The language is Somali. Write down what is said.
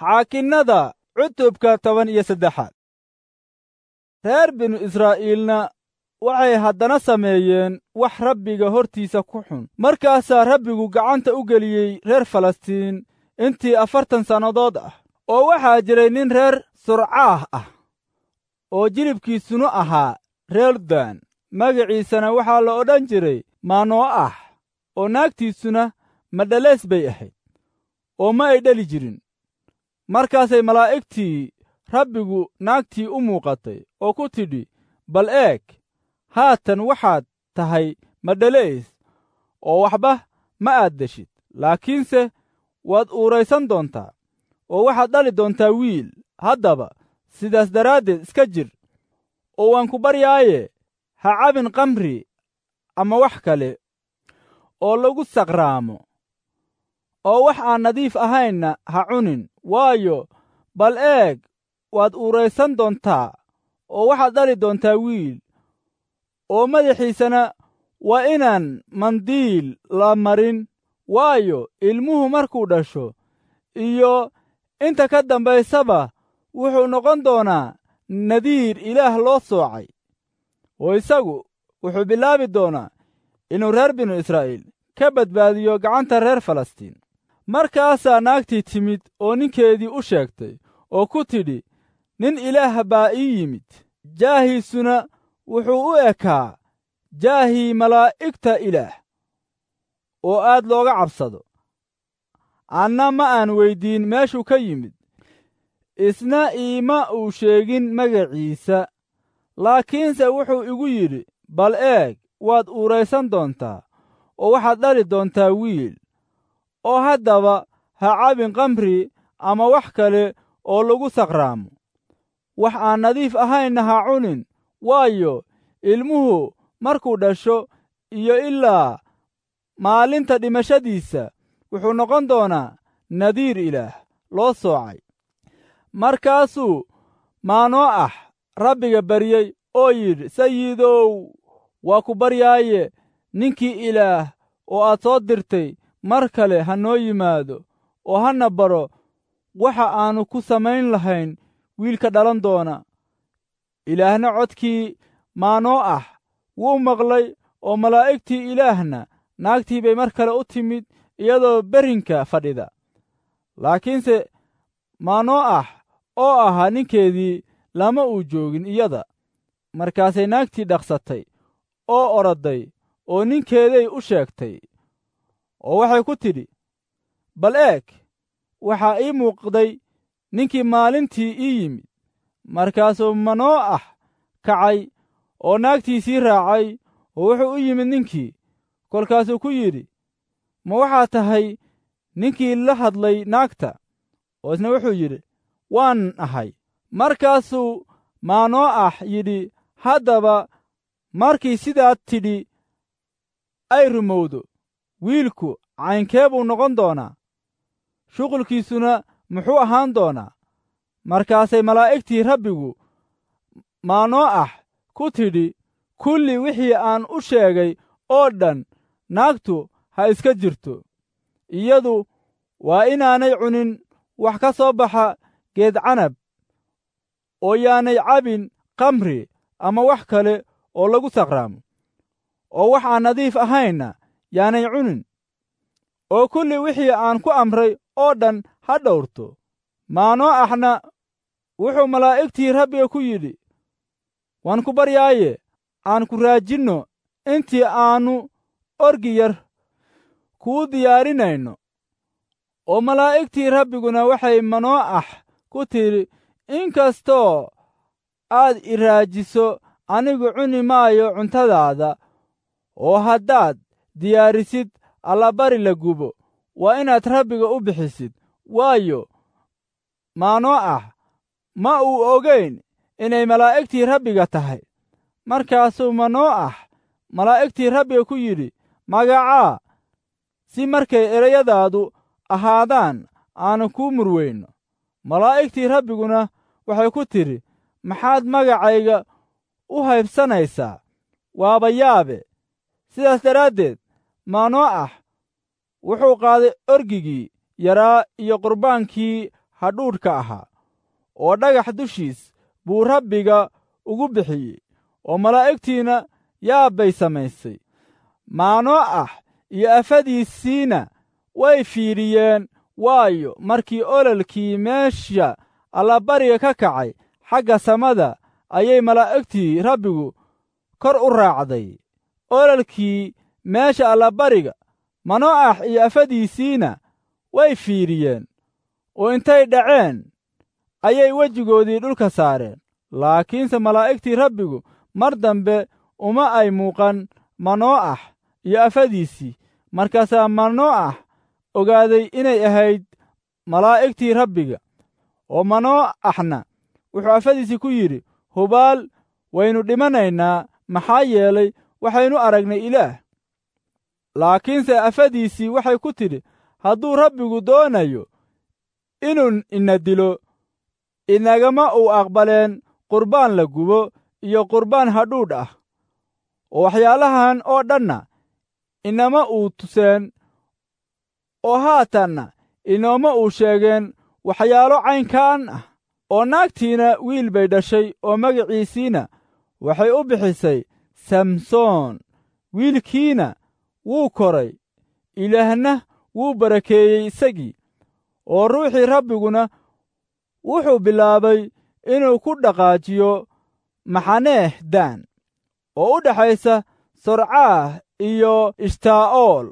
Xaakinnada cutubka 13. Reer binu Israa'iilna waxay haddana sameeyeen wax Rabbiga hortiisa ku xun. Markaasaa Rabbigu gacanta u geliyey reer Falastiin intii 40 sannadood ah. Oo waxaa jiray nin reer Surcaah ah oo jilibkiisuna ahaa reer Dan, magaciisana waxaa la odhan jiray Mano'ax, oo naagtiisuna madhalays bay ahayd, oo ma ay dhali jirin. Markaasay malaa'igtii Rabbigu naagtii u muuqatay oo ku tidhi, "Bal eeg, haatan waxaad tahay madhalays oo waxba ma aad deshid, laakiinse waad uuraysan doontaa oo waxaad dhali doontaa wiil. Haddaba sidaas daraaddeed iska jir, oo waan ku baryaaye, ha cabin khamri ama wax kale oo lagu saqraamo, oo wax aan nadiif ahaynna ha cunin. Waayo, bal eeg, waad uuraysan doontaa oo waxaad dhali doontaa wiil, oo madaxiisana waa inaan mandiil la marin, waayo, ilmuhu markuu dhasho iyo inta ka dambaysaba wuxuu noqon doonaa nadiir Ilaah loo soocay, oo isagu wuxuu bilaabi doonaa inuu reer binu Israa'iil ka badbaadiyo gacanta reer Falastiin." Markaasaa naagtii timid oo ninkeedii u sheegtay oo ku tidhi, "Nin Ilaah baa ii yimid, jaahiisuna wuxuu u ekaa jaahii malaa'igta Ilaah oo aad looga cabsado. Anna ma aan weyddiin meeshuu ka yimid, isna iima uu sheegin magaciisa. Laakiinse wuxuu igu yidhi, 'Bal eeg, waad uuraysan doontaa oo waxaad dhali doontaa wiil.' Oo haddaba ha cabin khamri ama wax kale oo lagu saqraamo, wax aan nadiif ahaynna ha cunin, waayo, ilmuhu markuu dhasho iyo ilaa maalinta dhimashadiisa wuxuu noqon doonaa nadiir Ilaah loo soocay." Markaasuu Mano'ax Rabbiga baryey oo yidhi, "Sayidow, waa ku baryaaye, ninkii Ilaah oo aad soo dirtay mar kale ha noo yimaado oo hana baro waxa aannu ku samayn lahayn wiilka dhalan doona." Ilaahna codkii Mano'ax wuu maqlay, oo malaa'igtii Ilaahna naagtii bay mar kale u timid iyadoo berrinka fadhida. Laakiinse Mano'ax oo ahaa ninkeedii lama uu joogin iyada. Markaasay naagtii dhaqsatay oo orodday oo ninkeeday u sheegtay, oo waxay ku tidhi, "Bal eeg, waxaa ii muuqday ninkii maalintii ii yimid." Markaasuu Mano'ax kacay oo naagtiisii raacay, oo wuxuu u yimid ninkii. Kolkaasuu ku yidhi, "Ma waxaad tahay ninkii la hadlay naagta?" Oo isna wuxuu yidhi, "Waan ahay." Markaasuu Mano'ax yidhi, "Haddaba markii sidaad tidhi ay rumowdo, wiilku caynkee buu noqon doonaa? Shuqulkiisuna muxuu ahaan doonaa?" Markaasay malaa'igtii Rabbigu Mano'ax ku tidhi, "Kulli wixii aan u sheegay oo dhan naagtu ha iska jirto. Iyadu waa inaanay cunin wax ka soo baxa geed canab, oo yaanay cabin khamri ama wax kale oo lagu saqraamo, oo wax aan nadiif ahaynna yaanay cunin, oo kulli wixii aan ku amray oo dhan ha dhowrto." Mano'axna wuxuu malaa'igtii Rabbiga ku yidhi, "Waan ku baryaaye, aan ku raajinno intii aannu orgi yar kuu diyaarinayno." Oo malaa'igtii Rabbiguna waxay Mano'ax ku tidhi, "In kastoo aad i raajiso, anigu cuni maayo cuntadaada, oo haddaad diyaarisid allabari la gubo, waa inaad Rabbiga u bixisid." Waayo, Mano'ax ma uu ogayn inay malaa'igtii Rabbiga tahay. Markaasuu Mano'ax malaa'igtii Rabbiga ku yidhi, "Magacaa, si markay erayadaadu ahaadaan aannu kuu murweyno." Malaa'igtii Rabbiguna waxay ku tidhi, "Maxaad magacayga u haybsanaysaa? Waaba yaabe." Sidaas daraaddeed Mano'ax wuxuu qaaday orgigii yaraa iyo qurbaankii hadhuudhka ahaa, oo dhagax dushiis buu Rabbiga ugu bixiyey, oo malaa'igtiina yaab bay samaysay. Maano'ax iyo afadiisiina way fiidhiyeen, waayo, markii ololkii meesha allabariga ka kacay xagga samada ayay malaa'igtii Rabbigu kor u raacday ololkii meesha allabariga. Mano'ax iyo afadiisiina way fiidhiyeen, oo intay dhaceen ayay wejigoodii dhulka saareen. Laakiinse malaa'igtii Rabbigu mar dambe uma ay muuqan Mano'ax iyo afadiisii. Markaasaa Mano'ax ogaaday inay ahayd malaa'igtii Rabbiga. Oo Mano'axna wuxuu afadiisii ku yidhi, Hubaal waynu dhimanaynaa, maxaa yeelay waxaynu aragnay Ilaah. Laakiinse afadiisii waxay ku tidhi, Hadduu Rabbigu doonayo inuu ina dilo, inagama uu aqbaleen qurbaan la gubo iyo qurbaan hadhuudh ah, oo waxyaalahan oo dhanna inama uu tuseen, oo haatanna inooma uu sheegeen waxyaalo caynkaan ah. Oo naagtiina wiil bay dhashay, oo magiciisiina waxay u bixisay Samsoon. Wiilkiina wuu koray, Ilaahna wuu barakeeyey isagii, oo ruuxii Rabbiguna wuxuu bilaabay inuu ku dhaqaajiyo Maxaneeh Daan, oo u dhaxaysa Sorcaah iyo Ishtaa'ool.